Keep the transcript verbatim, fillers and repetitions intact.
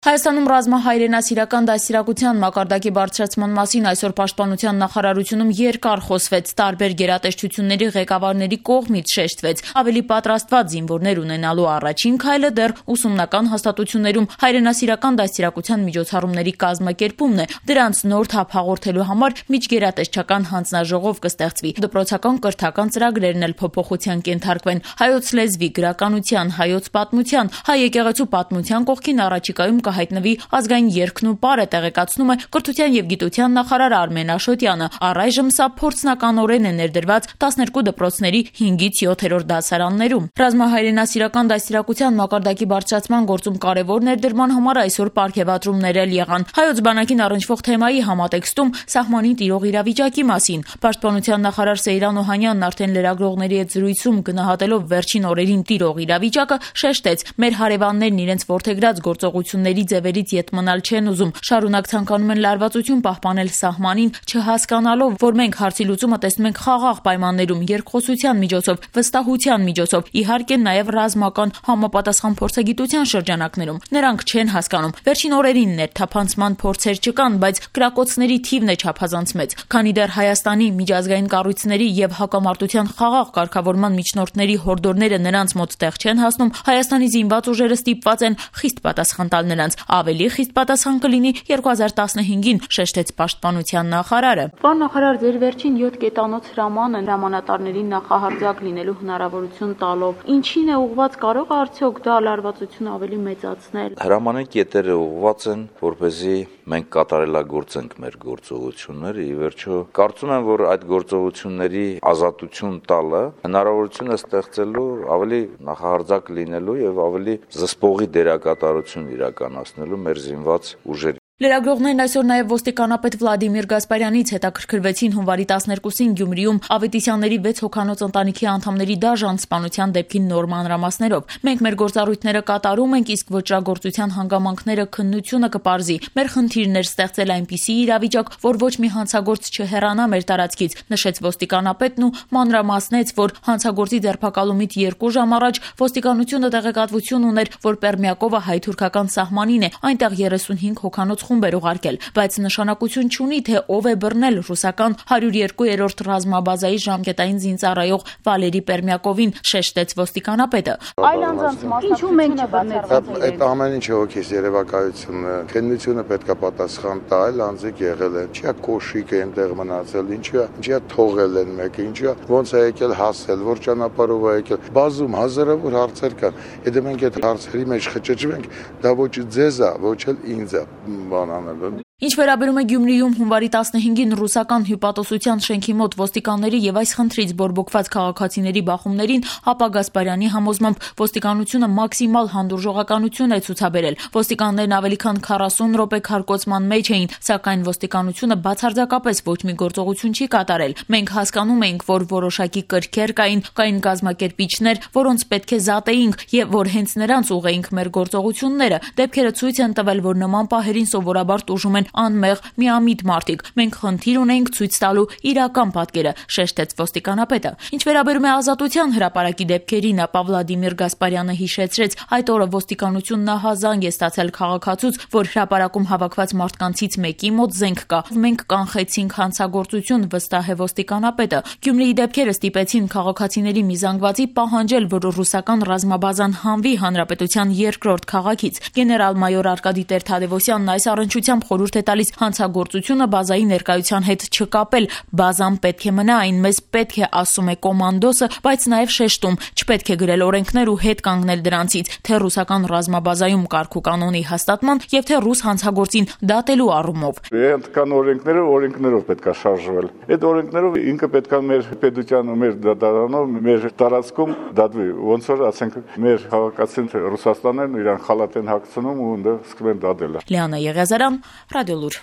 Հայաստանում ռազմահայրենասիրական դաստիարակության մակարդակի բարձրացման մասին այսօր Պաշտպանության նախարարությունում երկար խոսվեց, տարբեր գերատեսչությունների ղեկավարների կողմից շեշտվեց, ավելի պատրաստված զինվորներ ունենալու առաջին քայլը դեռ ուսումնական հաստատություններում հայրենասիրական դաստիարակության միջոցառումների կազմակերպումն է, դրանց նոր թափ հաղորդելու համար միջգերատեսչական հանձնաժողով կստեղծվի, դպրոցական կրթական ծրագրերն էլ փոփոխության կենթարկվեն, հայոց լեզվի, գրականության, հայոց պատմության, հայ եկեղեցու պատմության կողքին առաջիկայում հայտնվի ազգային երգն ու պարը, տեղեկացնում է կրթության եւ գիտության նախարար Արմեն Աշոտյանը։ Առայժմ սա փորձնականորեն է ներդրված տասներկու դպրոցների հինգից յոթերորդ դասարաններում։ Ռազմահայրենասիրական դաստիարակության մակարդակի բարձրացման գործում կարևոր ներդրման համար այսօր պարգևատրումներ էլ եղան։ Հայոց բանակին առնչվող թեմայի համատեքստում սահմանին տիրող իրավիճակի մասին Պաշտպանության նախարար Սեյրան Օհանյանն արդեն լրագրողների հետ զրույցում գնահատելով վերջին օրերին տիրող իրավիճակը շեշտեց. մեր հարևաններն իրենց ворթեգրած գործողությունների ձևերից ետ մնալ չեն ուզում, շարունակ ցանկանում են լարվածություն պահպանել սահմանին, չհասկանալով, որ մենք հարցի լուծումը տեսնում ենք խաղաղ պայմաններում, երկխոսության միջոցով, վստահության միջոցով, իհարկե նաև ռազմական համապատասխան փորձագիտության շրջանակներում։ Նրանք չեն հասկանում։ Վերջին օրերին ներթափանցման փորձեր չկան, բայց կրակոցների թիվն է չափազանց մեծ, քանի դեռ Հայաստանի միջազգային կառույցների եւ հակամարտության խաղաղ կարգավորման միջնորդների հորդորները նրանց մոտ տեղ չեն հասնում, Հայաստանի զինված ուժերը ստիպված են խիստ պատասխան տալ նրանց։ Ավելի խիստ պատասխան կլինի երկու հազար տասնհինգին, շեշտեց Պաշտպանության նախարարը։ Պարոն նախարար, ձեր վերջին յոթ կետանոց հրամանը հրամանատարներին նախահարձակ լինելու հնարավորություն տալով, ինչին է ուղղված, կարող է արդյոք դա լարվածությունը ավելի մեծացնել։ Հրամանի կետերը ուղղված են, որպեսզի մենք կատարելագործենք մեր գործողությունները, ի վերջո կարծում եմ, որ այդ գործողությունների ազատություն տալը հնարավորություն է ստեղծելու ավելի նախահարձակ լինելու եւ ավելի զսպողի դերակատարություն իրականացնելու մեր զինված ուժերի։ Լրագրողներն այսօր նաև ոստիկանապետ Վլադիմիր Գասպարյանից հետաքրքրվեցին հունվարի տասներկուսին Գյումրիում Ավետիսյանների վեց հոգանոց ընտանիքի անդամների դաժան սպանության դեպքի նոր մանրամասներով։ Մենք մեր գործառույթները կատարում ենք, իսկ ոճրագործության հանգամանքները քննությունը կպարզի։ Մեր խնդիրն էր ստեղծել այնպիսի իրավիճակ, որ ոչ մի հանցագործ չհեռանա մեր տարածքից, նշեց ոստիկանապետն ու մանրամասնեց, որ հանցագործի ձերբակալումից երկու ժամ առաջ ոստիկանությունը տեղեկատվություն ուներ, որ Պերմյակովը հայ-թուրքական սահմանին է, այնտեղ երեսունհինգ հոգանոց խումբ էր ուղարկել, բայց նշանակություն չունի, թե ով է բռնել ռուսական հարյուր երկու-րդ ռազմաբազայի ժամկետային զինծառայող Վալերի Պերմյակովին, շեշտեց ոստիկանապետը։ Այլ անձանց մասնակցությունը մենք չբռնեցինք։ Այդ ամեն ինչը հոգիս երևակայությունն է, քննությունը պետք է պատասխան տա, այլ անձիկ եղել են, ինչի՞ կոշիկ է այնտեղ մնացել, ինչի՞ ինչի՞ թողել են մեկը, ինչի՞ ոնց է եկել հասել, որ ճանապարհով է եկել։ Բազում հազարավոր հարցեր կան։ Եթե մենք այդ հարցերի մեջ խճճվենք, դա ոչ ձեզ է, ոչ էլ ինձ է։ Ինչ վերաբերում է Գյումրիում հունվարի տասնհինգին ռուսական հյուպատոսության շենքի մոտ ոստիկանների եւ այս խնդրից բորբոքված քաղաքացիների բախումներին, ապա Գասպարյանի համոզմամբ ոստիկանությունը մաքսիմալ հանդուրժողականություն է ցուցաբերել։ Ոստիկաններն ավելի քան քառասուն րոպե քարկոծման մեջ էին, սակայն ոստիկանությունը բացարձակապես ոչ մի գործողություն չի կատարել։ Մենք հասկանում էինք, որ որոշակի կրքեր կային, կային կազմակերպիչներ, որոնց պետք է զատեինք եւ որ հենց նրանց ուղեինք մեր գործողությունները։ Դեպքերը ցույց են տվել, որ նման պահերին սովորաբար տուժում են անմեղ միամիտ մարդիկ։ Մենք խնդիր ունենք ցույց տալու իրական պատկերը, շեշտեց ոստիկանապետը։ Ինչ վերաբերում է ազատության հրապարակի դեպքերին, ապա Վլադիմիր Գասպարյանը հիշեցրեց, այդ օրը ոստիկանությունն ահազանգ է ստացել քաղաքացուց, որ հրապարակում հավաքված մարդկանցից մեկի մոտ զենք կա։ Մենք կանխեցինք հանցագործություն, վստահ է ոստիկանապետը։ Գյումրիի դեպքերը ստիպեցին քաղաքացիների մի զանգվածի պահանջել, որ ռուսական ռազմաբազան հանվի հանրապետության երկրորդ քաղաքից։ Գեներալ-մայոր Արկադի Տեր-Թադևոսյանն այս առնչությամբ խորհուրդ է տալիս հանցագործությունը բազայի ներկայության հետ չկապել։ Բազան պետք է մնա, այն մեզ պետք է, ասում է կոմանդոսը, բայց նաև շեշտում, չպետք է գրել օրենքներ ու հետ կանգնել դրանցից, թե ռուսական ռազմաբազայում կարգ ու կանոնի հաստատման եւ թե ռուս հանցագործին դատելու առումով։ Կան օրենքները, օրենքներով պետք է շարժվել։ Այդ օրենքներով ինքը պետք է մեր պետության ու մեր դատարանով, մեր տարածքում դատվի։ Ոնց որ ասենք մեր քաղաքացին Ռուսաստանն իրան խալատ են հագցնում ու ընդ սկսում են դատել։ Լիանա Եղիազարյան, Ռադիոլուր։